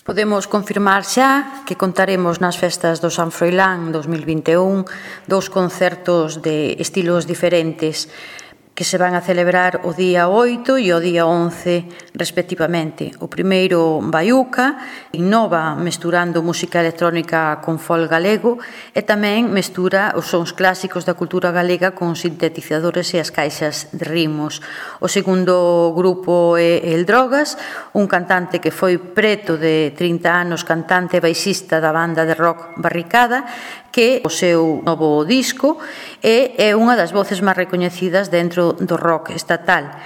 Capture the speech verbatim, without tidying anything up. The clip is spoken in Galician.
Podemos confirmar xa que contaremos nas festas do San Froilán dos mil vinte e un dous concertos de estilos diferentes que se van a celebrar o día oito e o día once, respectivamente. O primeiro, Baiuca, innova mesturando música electrónica con folk galego e tamén mestura os sons clásicos da cultura galega con sintetizadores e as caixas de ritmos. O segundo grupo é El Drogas, un cantante que foi preto de trinta anos, cantante e baixista da banda de rock Barricada, que o seu novo disco é unha das voces máis recoñecidas dentro do rock estatal.